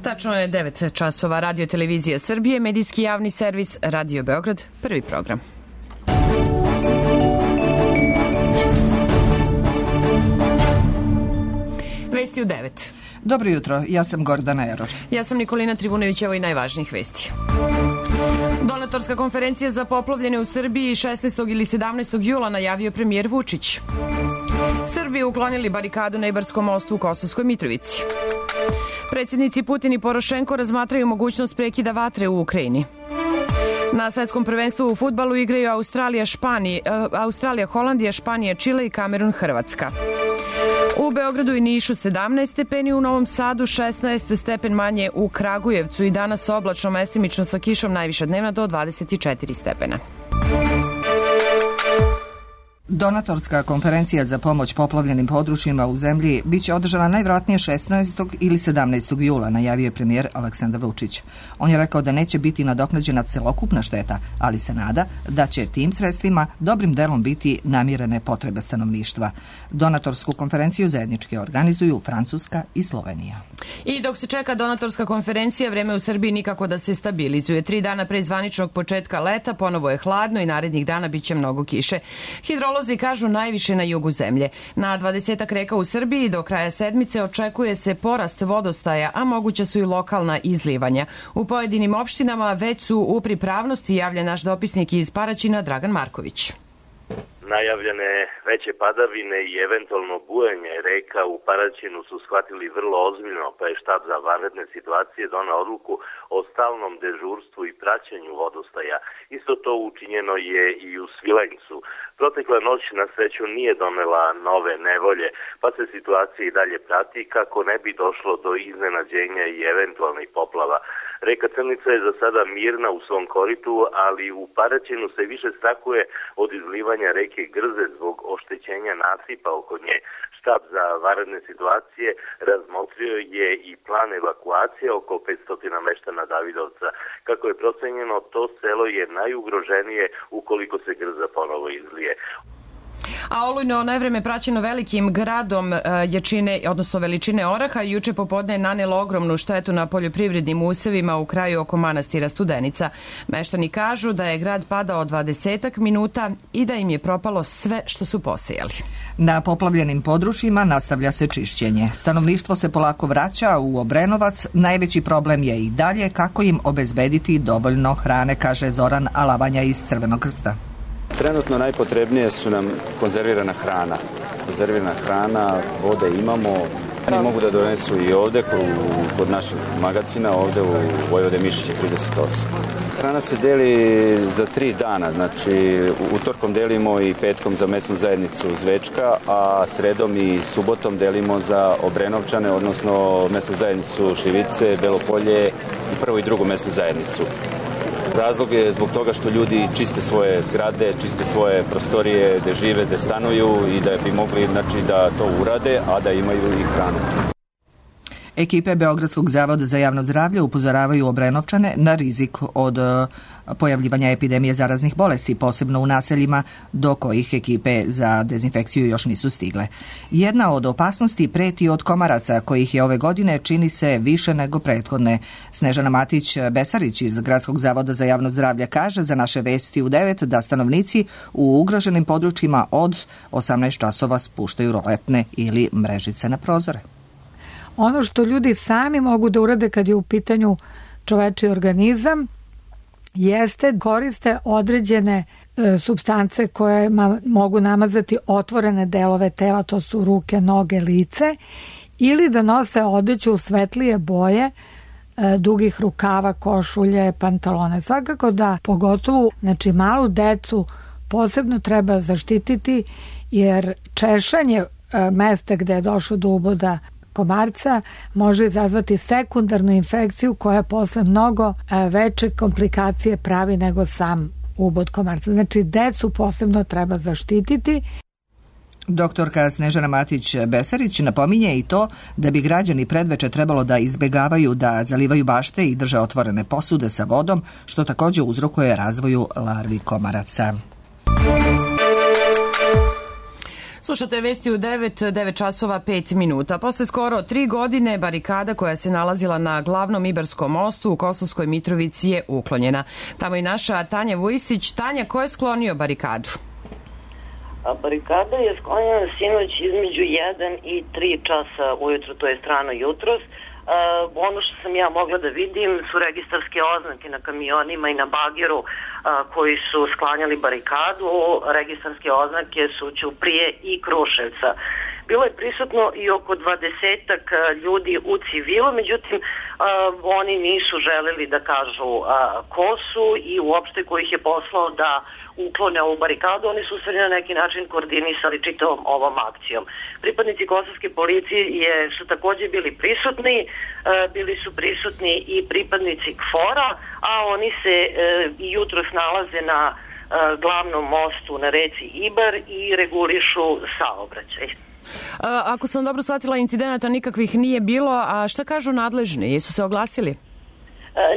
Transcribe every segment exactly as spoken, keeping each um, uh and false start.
Tačno je devet časova. Radio Televizija Srbije, medijski javni servis Radio Beograd, prvi program. Vesti u devet. Dobro jutro, ja sam Gordana Eror. Ja sam Nikolina Trivunović, evo i najvažnijih vesti. Donatorska konferencija za poplavljene u Srbiji šesnaestog ili sedamnaestog jula najavio premijer Vučić. Srbi uklonili barikadu na Ibarskom mostu u Kosovskoj Mitrovici. Predsjednici Putin i Porošenko razmatraju mogućnost prekida vatre u Ukrajini. Na svetskom prvenstvu u fudbalu igraju Australija, Španija, Australija, Holandija, Španija, Čile i Kamerun, Hrvatska. U Beogradu i Nišu sedamnaest stepeni, u Novom Sadu šesnaest, stepen manje u Kragujevcu i danas oblačno, mestimično sa kišom, najviša dnevna do dvadeset četiri stepena. Donatorska konferencija za pomoć poplavljenim područjima u zemlji biće održana najvjerojatnije šesnaestog ili sedamnaestog jula, najavio je premijer Aleksandar Vučić. On je rekao da neće biti nadoknađena celokupna šteta, ali se nada da će tim sredstvima dobrim delom biti namirene potrebe stanovništva. Donatorsku konferenciju zajednički organizuju Francuska i Slovenija. I dok se čeka donatorska konferencija, vreme u Srbiji nikako da se stabilizuje. Tri dana pre zvaničnog početka leta ponovo je hladno i narednih dana biće mnogo kiše. Hidrolozi kažu najviše na jugu zemlje. Na dvadesetak reka u Srbiji do kraja sedmice očekuje se porast vodostaja, a moguća su i lokalna izlivanja. U pojedinim opštinama već su u pripravnosti, javlja naš dopisnik iz Paraćina Dragan Marković. Najavljene veće padavine i eventualno bujanje reka u Paraćinu su shvatili vrlo ozbiljno, pa je štab za vanredne situacije donao odluku o stalnom dežurstvu i praćenju vodostaja. Isto to učinjeno je i u Svilajncu. Protekla noć na sreću nije donela nove nevolje, pa se situacija i dalje prati kako ne bi došlo do iznenađenja i eventualnih poplava. Reka Crnica je za sada mirna u svom koritu, ali u Paraćinu se više strahuje od izlivanja reke Grze zbog oštećenja nasipa oko nje. Štab za vanredne situacije razmotrio je i plan evakuacije oko petsto meštana Davidovca. Kako je procenjeno, to selo je najugroženije ukoliko se Grza ponovo izlije. A olujno nevreme praćeno velikim gradom jačine, odnosno veličine oraha, juče popodne je nanelo ogromnu štetu na poljoprivrednim usevima u kraju oko manastira Studenica. Meštani kažu da je grad padao dvadesetak minuta i da im je propalo sve što su posejali. Na poplavljenim područjima nastavlja se čišćenje. Stanovništvo se polako vraća u Obrenovac. Najveći problem je i dalje kako im obezbediti dovoljno hrane, kaže Zoran Alavanja iz Crvenog krsta. Trenutno najpotrebnije su nam konzervirana hrana. Konzervirana hrana, vode imamo. Oni mogu da donesu i ovde kod našeg magacina, ovde u Vojvode Mišića trideset osam. Hrana se deli za tri dana, znači utorkom delimo i petkom za mesnu zajednicu Zvečka, a sredom i subotom delimo za Obrenovčane, odnosno mesnu zajednicu Šljivice, Belopolje i prvu i drugu mesnu zajednicu. Razlog je zbog toga što ljudi čiste svoje zgrade, čiste svoje prostorije gde žive, gde stanuju i da bi mogli, znači, da to urade, a da imaju i hranu. Ekipe Beogradskog zavoda za javno zdravlje upozoravaju Obrenovčane na rizik od pojavljivanja epidemije zaraznih bolesti, posebno u naseljima do kojih ekipe za dezinfekciju još nisu stigle. Jedna od opasnosti preti od komaraca, kojih je ove godine čini se više nego prethodne. Snežana Matić-Besarić iz Gradskog zavoda za javno zdravlje kaže za naše vesti u devet da stanovnici u ugroženim područjima od osamnaest časova spuštaju roletne ili mrežice na prozore. Ono što ljudi sami mogu da urade kad je u pitanju čovečiji organizam jeste koriste određene e, supstance koje ma, mogu namazati otvorene delove tela, to su ruke, noge, lice, ili da nose odeću u svetlije boje, e, dugih rukava, košulje, pantalone. Svakako da pogotovo, znači, malu decu posebno treba zaštititi, jer češanje e, mesta gde je došlo do uboda komarca može izazvati sekundarnu infekciju koja posle mnogo veće komplikacije pravi nego sam ubod komarca. Znači, decu posebno treba zaštititi. Doktorka Snežana Matić-Besarić napominje i to da bi građani predveče trebalo da izbegavaju da zalivaju bašte i drže otvorene posude sa vodom, što također uzrokuje razvoju larvi komaraca. Slušate vesti u devet, devet časova pet minuta. Posle skoro tri godine barikada koja se nalazila na glavnom Ibarskom mostu u Kosovskoj Mitrovici je uklonjena. Tamo i naša Tanja Vujsić. Tanja, ko je sklonio barikadu? A barikada je sklonjena sinoć između jedan i tri časa ujutro, to je strano jutros. Uh, ono što sam ja mogla da vidim su registarske oznake na kamionima i na bageru uh, koji su sklanjali barikadu. Registarske oznake su Ćuprije i Kruševca. Bilo je prisutno i oko dvadesetak ljudi u civilu, međutim uh, oni nisu želeli da kažu uh, ko su i uopšte ko ih je poslao da uklone ovu barikadu. Oni su se na neki način koordinisali čitavom ovom akcijom. Pripadnici kosovske policije je, su takođe bili prisutni, uh, bili su prisutni i pripadnici K F O R-a, a oni se uh, jutros nalaze na uh, glavnom mostu na reci Ibar i regulišu saobraćaj. Ako sam dobro shvatila, incidenata nikakvih nije bilo, a šta kažu nadležni? Jesu se oglasili?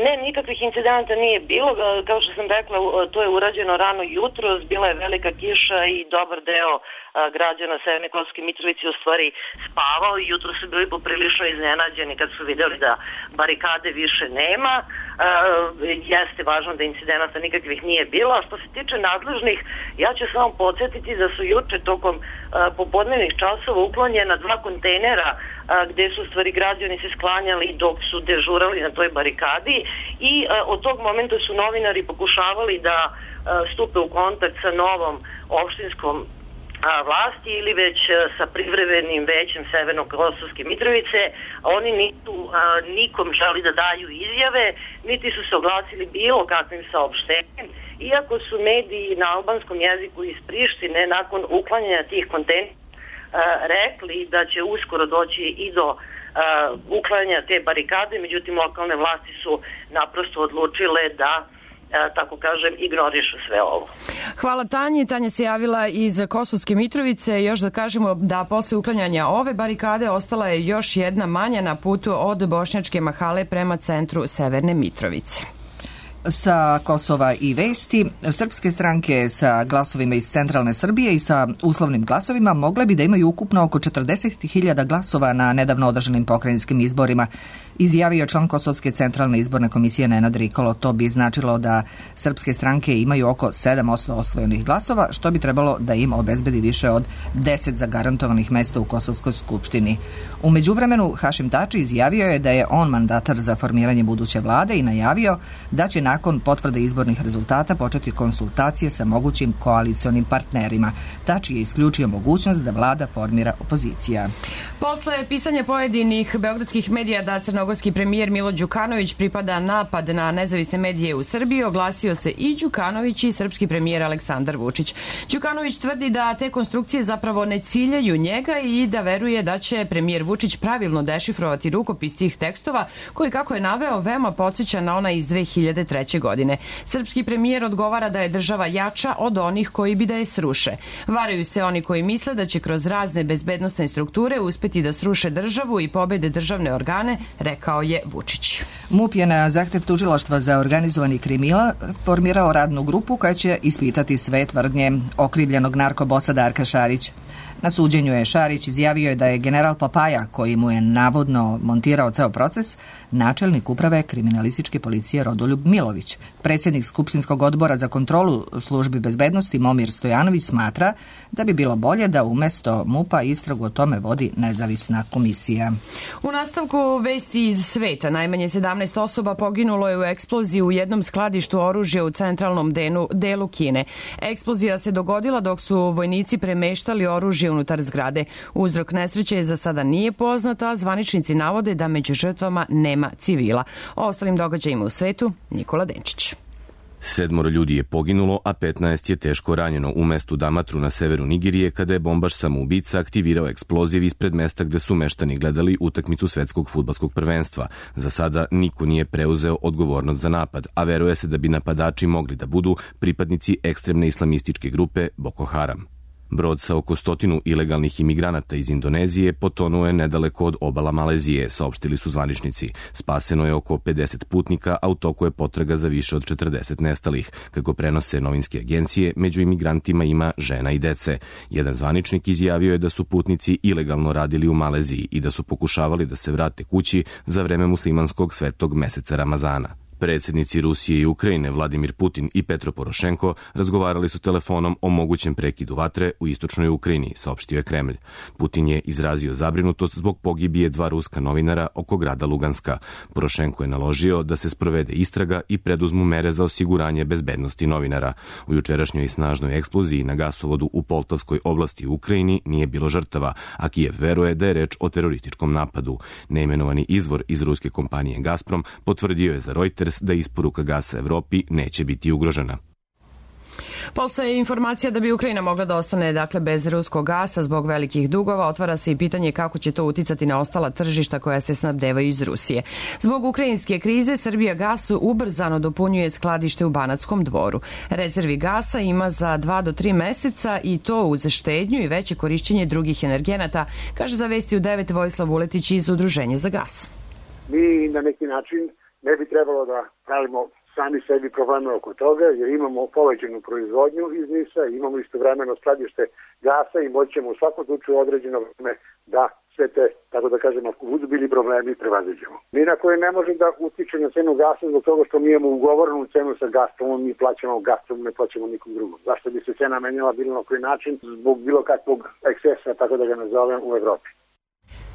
Ne, nikakvih incidenata nije bilo. Kao što sam rekla, to je urađeno rano jutros, bila je velika kiša i dobar deo građana Severne Kosovske Mitrovice u stvari spavao i jutro su bili poprilično iznenađeni kad su videli da barikade više nema. E, jeste važno da incidenata nikakvih nije bilo, a što se tiče nadležnih, ja ću samo podsjetiti da su juče tokom a, popodnevnih časova uklonjena dva kontejnera a, gde su stvari građani se sklanjali dok su dežurali na toj barikadi i a, od tog momenta su novinari pokušavali da a, stupe u kontakt sa novom opštinskom vlasti ili već sa privremenim većem Severno-Kosovske Mitrovice. Oni nisu a, nikom želi da daju izjave, niti su se oglasili bilo kakvim saopštenjem, iako su mediji na albanskom jeziku iz Prištine nakon uklanjanja tih kontejnera rekli da će uskoro doći i do a, uklanjanja te barikade, međutim lokalne vlasti su naprosto odlučile da tako kažem, ignorišu sve ovo. Hvala Tanji. Tanja se javila iz Kosovske Mitrovice. Još da kažemo da posle uklanjanja ove barikade ostala je još jedna manja na putu od Bošnjačke Mahale prema centru Severne Mitrovice. Sa Kosova i vesti, srpske stranke sa glasovima iz centralne Srbije i sa uslovnim glasovima mogle bi da imaju ukupno oko četrdeset hiljada glasova na nedavno održanim pokrajinskim izborima, izjavio član Kosovske centralne izborne komisije Nenad Rikolo. To bi značilo da srpske stranke imaju oko sedam posto osvojenih glasova, što bi trebalo da im obezbedi više od deset zagarantovanih mesta u Kosovskoj skupštini. U međuvremenu Hašim Tači izjavio je da je on mandatar za formiranje buduće vlade i najavio da će nakon potvrde izbornih rezultata početi konsultacije sa mogućim koalicionim partnerima. Tači je isključio mogućnost da vlada formira opozicija. Posle pisanja pojedinih beogradskih medija da crnogorski premijer Milo Đukanović pripada napad na nezavisne medije u Srbiji, oglasio se i Đukanović i srpski premijer Aleksandar Vučić. Đukanović tvrdi da te konstrukcije zapravo ne ciljaju njega i da veruje da će premijer Vučić pravilno dešifrovati rukopis tih tekstova, koji, kako je naveo, veoma podsjeća na ona iz dve hiljade treće. godine. Srpski premijer odgovara da je država jača od onih koji bi da je sruše. Varaju se oni koji misle da će kroz razne bezbednosne strukture uspeti da sruše državu i pobede državne organe, rekao je Vučić. MUP je na zahtev tužilaštva za organizovani kriminal formirao radnu grupu koja će ispitati sve tvrdnje okrivljenog narkobosa Darka Šarića. Na suđenju je Šarić izjavio da je general Papaja, koji mu je navodno montirao ceo proces, načelnik uprave kriminalističke policije Rodoljub Milović. Predsjednik Skupštinskog odbora za kontrolu službi bezbednosti Momir Stojanović smatra da bi bilo bolje da umesto MUP-a istragu o tome vodi nezavisna komisija. U nastavku vesti iz sveta, najmanje sedamnaest osoba poginulo je u eksploziji u jednom skladištu oružja u centralnom denu, delu Kine. Eksplozija se dogodila dok su vojnici premeštali oružje unutar zgrade. Uzrok nesreće za sada nije poznat, a zvaničnici navode da među žrtvama nema civila. O ostalim događajima u svetu, Nikola Denčić. Sedmoro ljudi je poginulo, a petnaest je teško ranjeno u mestu Damatru na severu Nigerije kada je bombaš samoubica aktivirao eksploziv ispred mesta gde su meštani gledali utakmicu svetskog fudbalskog prvenstva. Za sada niko nije preuzeo odgovornost za napad, a veruje se da bi napadači mogli da budu pripadnici ekstremne islamističke grupe Boko Haram. Brod sa oko stotinu ilegalnih imigranata iz Indonezije potonuo je nedaleko od obala Malezije, saopštili su zvaničnici. Spaseno je oko pedeset putnika, a u toku je potraga za više od četrdeset nestalih. Kako prenose novinske agencije, među imigrantima ima žena i dece. Jedan zvaničnik izjavio je da su putnici ilegalno radili u Maleziji i da su pokušavali da se vrate kući za vreme muslimanskog svetog meseca Ramazana. Predsjednici Rusije i Ukrajine Vladimir Putin i Petro Porošenko razgovarali su telefonom o mogućem prekidu vatre u istočnoj Ukrajini, saopštio je Kremlj. Putin je izrazio zabrinutost zbog pogibije dva ruska novinara oko grada Luganska. Porošenko je naložio da se sprovede istraga i preduzmu mere za osiguranje bezbednosti novinara. U jučerašnjoj snažnoj eksploziji na gasovodu u Poltavskoj oblasti u Ukrajini nije bilo žrtava, a Kijev veruje da je reč o terorističkom napadu. Neimenovani izvor iz ruske kompanije Gazprom potvrdio je za Reuters da isporuka gasa Evropi neće biti ugrožena. Postoje informacija da bi Ukrajina mogla da ostane dakle bez ruskog gasa zbog velikih dugova. Otvara se i pitanje kako će to uticati na ostala tržišta koja se snabdevaju iz Rusije. Zbog ukrajinske krize Srbija gas ubrzano dopunjuje skladište u Banatskom Dvoru. Rezervi gasa ima za dva do tri meseca i to uz štednju i veće korišćenje drugih energenata, kaže za Vesti u devet Vojislav Vuletić iz Udruženja za gas. Mi na neki način ne bi trebalo da pravimo sami sebi probleme oko toga, jer imamo povećanu proizvodnju iz NIS-a, imamo istovremeno skladište gasa i moćemo u svakom slučaju određeno vreme da sve te, tako da kažemo, ako budu bili problemi, prevaziđemo. Mi na koje ne može da utiče na cenu gasa zbog toga što mi imamo ugovorenu cenu sa Gazpromom, mi plaćamo Gazprom, ne plaćamo nikom drugom. Zašto bi se cena menjala bilo na koji način? Zbog bilo kakvog ekscesa, tako da ga nazovem, u Evropi.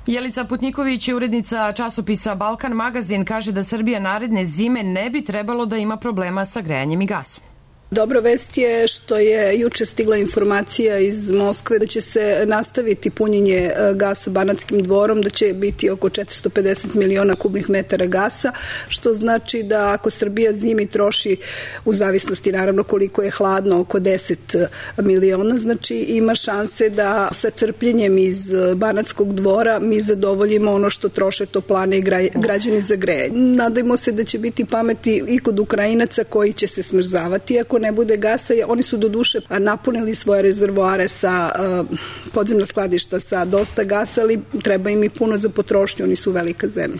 Jelica Putniković, urednica časopisa Balkan magazin, kaže da Srbija naredne zime ne bi trebalo da ima problema sa grejanjem i gasom. Dobra vest je što je juče stigla informacija iz Moskve da će se nastaviti punjenje gasa Banatskim Dvorom, da će biti oko četiristo pedeset miliona kubnih metara gasa, što znači da ako Srbija zimi troši, u zavisnosti naravno koliko je hladno, oko deset miliona, znači ima šanse da sa crpljenjem iz Banatskog Dvora mi zadovoljimo ono što troše toplane i građani za grejanje. Nadajmo se da će biti pameti i kod Ukrajinaca koji će se smrzavati ako ne bude gasa. Oni su do duše napunili svoje rezervoare sa podzemna skladišta sa dosta gasa, ali treba im i puno za potrošnju, oni su velika zemlja.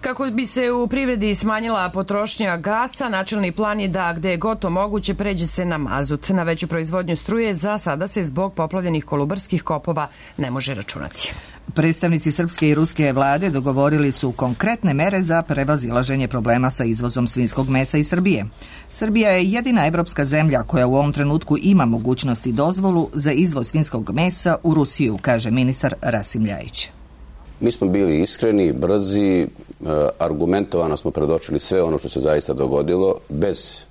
Kako bi se u privredi smanjila potrošnja gasa, načelni plan je da gde je god to moguće pređe se na mazut. Na veću proizvodnju struje za sada se zbog poplavljenih kolubarskih kopova ne može računati. Predstavnici srpske i ruske vlade dogovorili su konkretne mere za prevazilaženje problema sa izvozom svinjskog mesa iz Srbije. Srbija je jedina evropska zemlja koja u ovom trenutku ima mogućnost i dozvolu za izvoz svinjskog mesa u Rusiju, kaže ministar Rasim Ljajić. Mi smo bili iskreni, brzi, argumentovano smo predočili sve ono što se zaista dogodilo, bez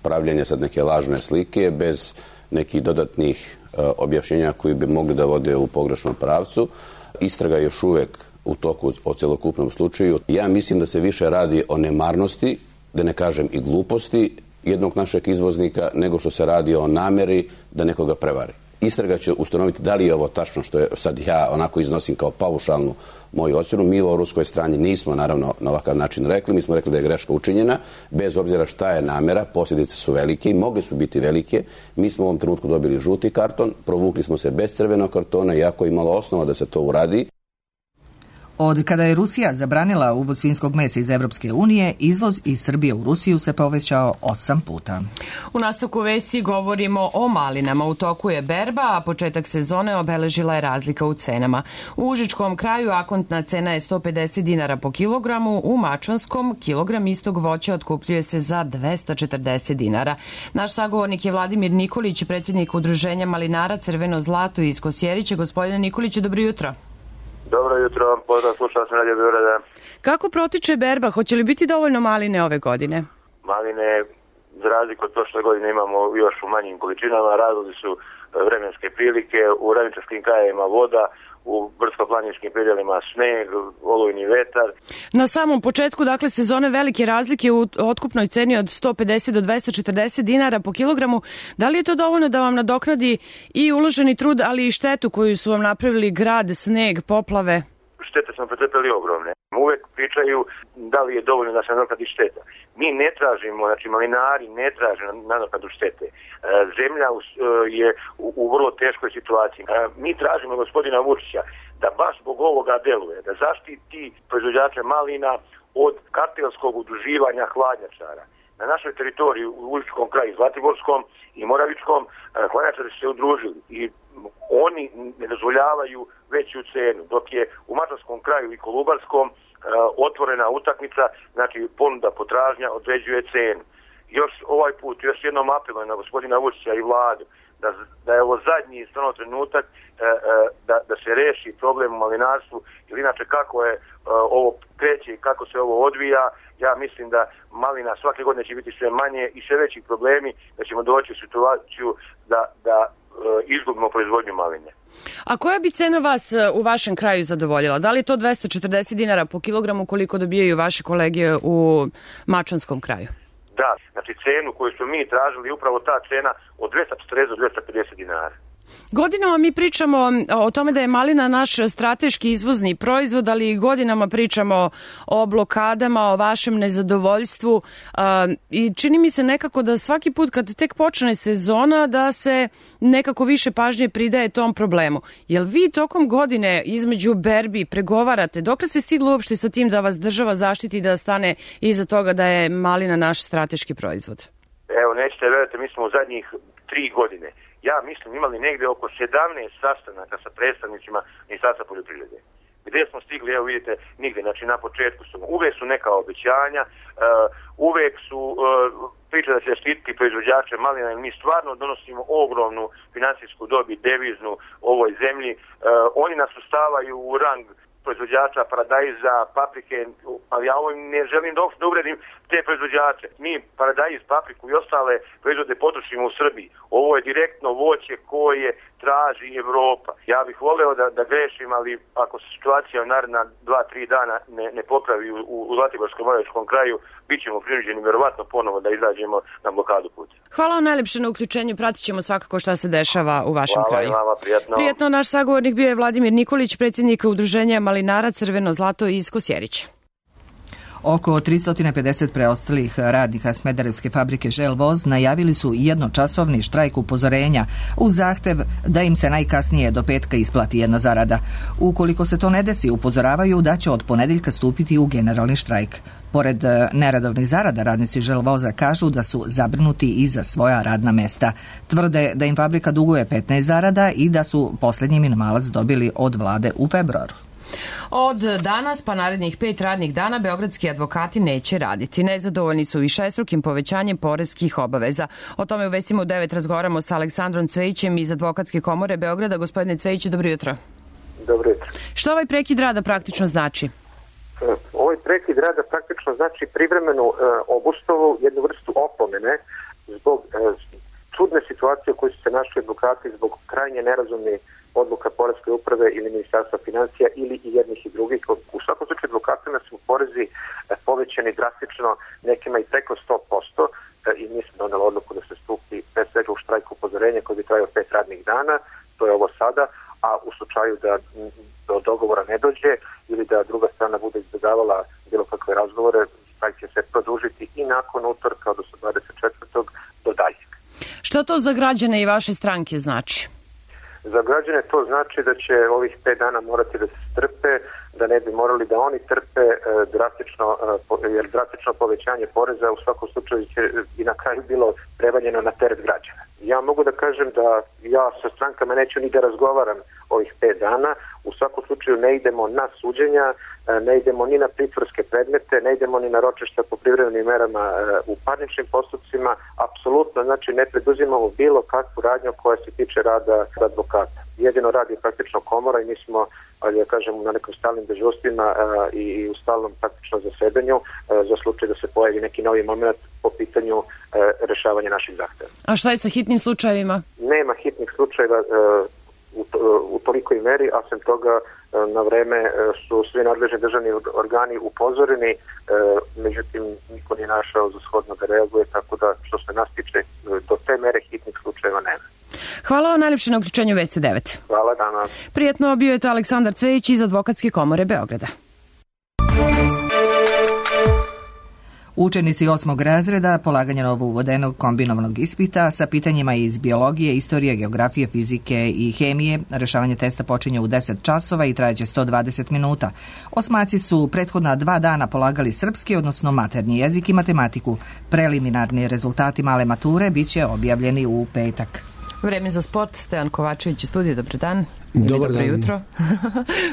pravljenja sad neke lažne slike, bez nekih dodatnih objašnjenja koji bi mogli da vode u pogrešnom pravcu. Istraga je još uvek u toku o celokupnom slučaju. Ja mislim da se više radi o nemarnosti, da ne kažem i gluposti jednog našeg izvoznika, nego što se radi o nameri da nekoga prevari. Istraga će ustanoviti da li je ovo tačno što je sad ja onako iznosim kao paušalnu moju ocjenu. Mi o ruskoj strani nismo naravno na ovakav način rekli. Mi smo rekli da je greška učinjena, bez obzira šta je namera, posljedice su velike i mogli su biti velike. Mi smo u ovom trenutku dobili žuti karton, provukli smo se bez crvenog kartona, iako je imalo osnova da se to uradi. Od kada je Rusija zabranila uvoz svinjskog mesa iz Evropske unije, izvoz iz Srbije u Rusiju se povećao osam puta. U nastavku vesti govorimo o malinama. U toku je berba, a početak sezone obeležila je razlika u cenama. U Užičkom kraju akontna cena je sto pedeset dinara po kilogramu, u Mačvanskom kilogram istog voća otkupljuje se za dvesta četrdeset dinara. Naš sagovornik je Vladimir Nikolić, predsjednik Udruženja malinara Crveno zlato iz Kosjerića. Gospodine Nikoliću, dobro jutro. Dobro jutro, pozdrav, slušao sam Radio Beograda. Kako protiče berba? Hoće li biti dovoljno maline ove godine? Maline, za razliku od prošle godine, imamo još u manjim količinama. Razlozi su vremenske prilike, u ravničarskim krajevima voda, u brdsko-planinskim predjelima sneg, olujni vetar. Na samom početku, dakle, sezone velike razlike u otkupnoj ceni od sto pedeset do dvesta četrdeset dinara po kilogramu. Da li je to dovoljno da vam nadoknadi i uloženi trud, ali i štetu koju su vam napravili grad, sneg, poplave? Štete smo pretrpeli ogromne. Uvek pričaju da li je dovoljno da se nadoknadi šteta. Mi ne tražimo, znači malinari ne traže nadoknadu štete. Zemlja je u, u vrlo teškoj situaciji. Mi tražimo gospodina Vučića da baš zbog ovoga deluje, da zaštiti proizvođače malina od kartelskog udruživanja hladnjačara. Na našoj teritoriji u Užičkom kraju, Zlatiborskom i Moravičkom, hladnjačari su se udružili i oni ne dozvoljavaju veću cenu, dok je u Mačvanskom kraju i Kolubarskom otvorena utakmica, znači ponuda potražnja određuje cenu. Još ovaj put, još jednom apelujem na gospodina Vučića i vladu, da, da je ovo zadnji stvarno trenutak da, da se reši problem u malinarstvu, jer inače kako je ovo kreće i kako se ovo odvija, ja mislim da malina svake godine će biti sve manje i sve veći problemi, da ćemo doći u situaciju da, da izgubimo proizvodnju maline. A koja bi cena vas u vašem kraju zadovoljila? Da li je to dvesta četrdeset dinara po kilogramu koliko dobijaju vaše kolege u Mačvanskom kraju? Da, znači cenu koju smo mi tražili, upravo ta cena od dvesta četrdeset do dvesta pedeset dinara. Godinama mi pričamo o tome da je malina naš strateški izvozni proizvod, ali godinama pričamo o blokadama, o vašem nezadovoljstvu i čini mi se nekako da svaki put kad tek počne sezona da se nekako više pažnje pridaje tom problemu. Jel vi tokom godine između berbi pregovarate? Dokle se stiglo uopšte sa tim da vas država zaštiti da stane iza toga da je malina naš strateški proizvod? Evo, nećete verujete, mi smo u zadnjih tri godine ja mislim imali negde oko sedamnaest sastanaka sa predstavnicima Ministarstva poljoprivrede. Gde smo stigli, evo vidite, nigde, znači na početku su, uvek su neka obećanja, uh, uvek su uh, priče da će štititi proizvođače malina, mi stvarno donosimo ogromnu finansijsku dobit, deviznu ovoj zemlji, uh, oni nas ustavaju u rang proizvođača paradajza, paprike, ali ja ovo ne želim da uopšte da uvredim te proizvođače. Mi paradajz, papriku i ostale proizvode potrošimo u Srbiji. Ovo je direktno voće koje traži Evropa. Ja bih voleo da, da grešim, ali ako se situacija u naredna dva, tri dana ne, ne popravi u, u Zlatiborskom Moravičkom kraju, bit ćemo prinuđeni verovatno ponovo da izađemo na blokadu puta. Hvala vam najlepše na uključenju, pratit ćemo svakako šta se dešava u vašem Hvala kraju. Hvala vama, prijatno. Prijatno, naš sagovornik bio je Vladimir Nikolić, predsjednik Udruženja malinara Crveno zlato iz Kosjerića. Oko tristo pedeset preostalih radnika Smederevske fabrike Želvoz najavili su jednočasovni štrajk upozorenja uz zahtev da im se najkasnije do petka isplati jedna zarada. Ukoliko se to ne desi, upozoravaju da će od ponedeljka stupiti u generalni štrajk. Pored neradovnih zarada, radnici Želvoza kažu da su zabrinuti i za svoja radna mesta. Tvrde da im fabrika duguje petnaest zarada i da su posljednji minimalac dobili od vlade u februaru. Od danas pa narednih pet radnih dana beogradski advokati neće raditi. Nezadovoljni su višestrukim povećanjem poreskih obaveza. O tome u Vestima u devet razgovaramo sa Aleksandrom Cvejićem iz Advokatske komore Beograda. Gospodine Cvejiću, dobro jutro. Dobro jutro. Što ovaj prekid rada praktično znači? Ovaj prekid rada praktično znači privremenu e, obustavu, jednu vrstu opomene zbog e, čudne situacije u kojoj su se našli advokati zbog krajnje nerazumne odluka Poreske uprave ili Ministarstva financija ili i jednih i drugih. U svakom slučaju advokatima su porezi povećani drastično, nekima i preko sto posto i mi smo doneli odluku da se stupi pre svega u štrajk upozorenja koji bi trajao pet radnih dana, to je ovo sada, a u slučaju da do dogovora ne dođe ili da druga strana bude izbjegavala bilo kakve razgovore, štrajk će se produžiti i nakon utorka, odnosno dvadeset četvrtog do daljeg. Što to za građane i vaše stranke znači? Za građane to znači da će ovih pet dana morati da se strpe, da ne bi morali da oni trpe e, drastično, e, jer drastično povećanje poreza u svakom slučaju će i na kraju bilo prevaljeno na teret građana. Ja mogu da kažem da ja sa strankama neću ni da razgovaram ovih pet dana, u svakom slučaju ne idemo na suđenja, ne idemo ni na pritvorske predmete, ne idemo ni na ročišta po privremenim merama u parničnim postupcima, apsolutno, znači ne preduzimamo bilo kakvu radnju koja se tiče rada advokata. Jedino radi praktično komora i mi smo, ali ja kažem, na nekom stalnim dežurstvima i u stalnom praktično zasedanju za slučaj da se pojavi neki novi moment po pitanju rešavanja naših zahteva. A šta je sa hitnim slučajevima? Nema hitnih slučajeva u, u tolikoj meri, a sem toga na vreme su svi nadležni državni organi upozoreni, međutim niko nije našao za shodno da reaguje, tako da što se nas tiče do te mere hitnih slučajeva nema. Hvala vam najljepše na uključenju Vesti devet. Hvala dana. Prijetno, bio je to Aleksandar Cvejić iz Advokatske komore Beograda. Učenici osmog razreda polaganje novo uvedenog kombinovanog ispita sa pitanjima iz biologije, istorije, geografije, fizike i hemije. Rešavanje testa počinje u deset časova i trajeće sto dvadeset minuta. Osmaci su prethodna dva dana polagali srpski, odnosno maternji jezik i matematiku. Preliminarni rezultati male mature bit će objavljeni u petak. Vreme za sport, Stevan Kovačević u studiju, dobro dan. Dobar dobro dan. jutro.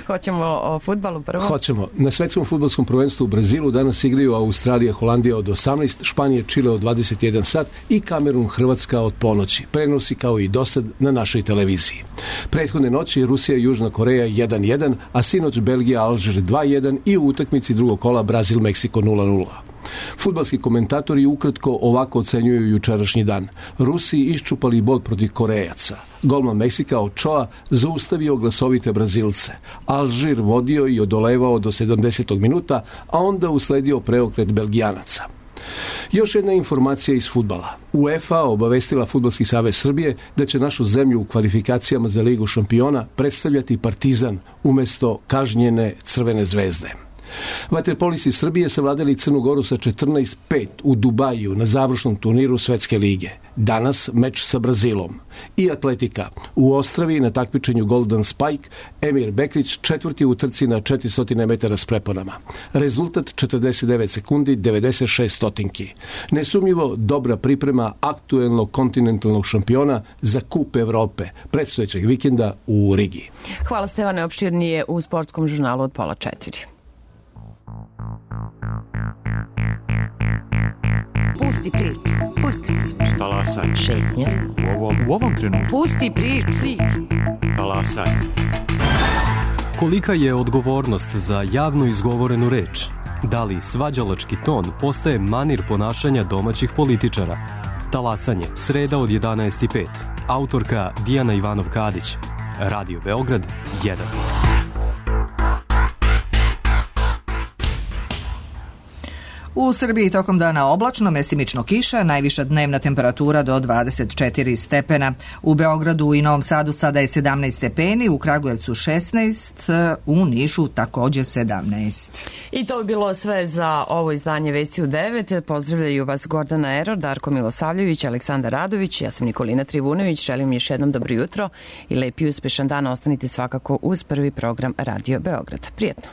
Hoćemo o fudbalu prvo? Hoćemo. Na svetskom fudbalskom prvenstvu u Brazilu danas igraju Australija, Holandija od osamnaest, Španija, Čile od dvadeset jedan sat i Kamerun, Hrvatska od ponoći. Prenosi kao i dosad na našoj televiziji. Prethodne noći Rusija i Južna Koreja jedan jedan, a sinoć Belgija, Alžir dva jedan i u utakmici drugog kola Brazil, Meksiko nula nula. Fudbalski komentatori ukratko ovako ocenjuju jučerašnji dan. Rusi iščupali bod protiv Korejaca. Golman Meksika Ochoa zaustavio glasovite Brazilce. Alžir vodio i odolevao do sedamdesetog minuta, a onda usledio preokret Belgijanaca. Još jedna informacija iz fudbala. UEFA obavestila Fudbalski savez Srbije da će našu zemlju u kvalifikacijama za Ligu šampiona predstavljati Partizan umjesto kažnjene Crvene zvezde. Vaterpolisti Srbije savladali Crnu Goru sa četrnaest pet u Dubaju na završnom turniru Svetske lige. Danas meč sa Brazilom. I atletika. U Ostravi na takmičenju Golden Spike Emir Bekrić četvrti u trci na četiristo metara s preponama. Rezultat četrdeset devet sekundi devedeset šest stotinki. Nesumnjivo dobra priprema aktuelnog kontinentalnog šampiona za Kup Evrope predstojećeg vikenda u Rigi. Hvala Stevane, opširnije u sportskom žurnalu od pola četiri. Pusti priču. Pusti priču. Talasaj. Šetnja. U ovom, u ovom trenutku. Pusti priču. priču. Talasaj. Kolika je odgovornost za javno izgovorenu reč? Da li svađalački ton postaje manir ponašanja domaćih političara? Talasanje, sreda od jedanaest i pet. Autorka Dijana Ivanov-Kadić. Radio Beograd jedan. U Srbiji tokom dana oblačno, mestimično kiša, najviša dnevna temperatura do dvadeset četiri stepena. U Beogradu i Novom Sadu sada je sedamnaest stepeni, u Kragujevcu šesnaest, u Nišu također sedamnaest. I to bi bilo sve za ovo izdanje Vesti u devet. Pozdravljaju vas Gordana Eror, Darko Milosavljević, Aleksandar Radović, ja sam Nikolina Trivunović. Želim još jednom dobro jutro i lep i uspešan dan. Ostanite svakako uz prvi program Radio Beograd. Prijetno.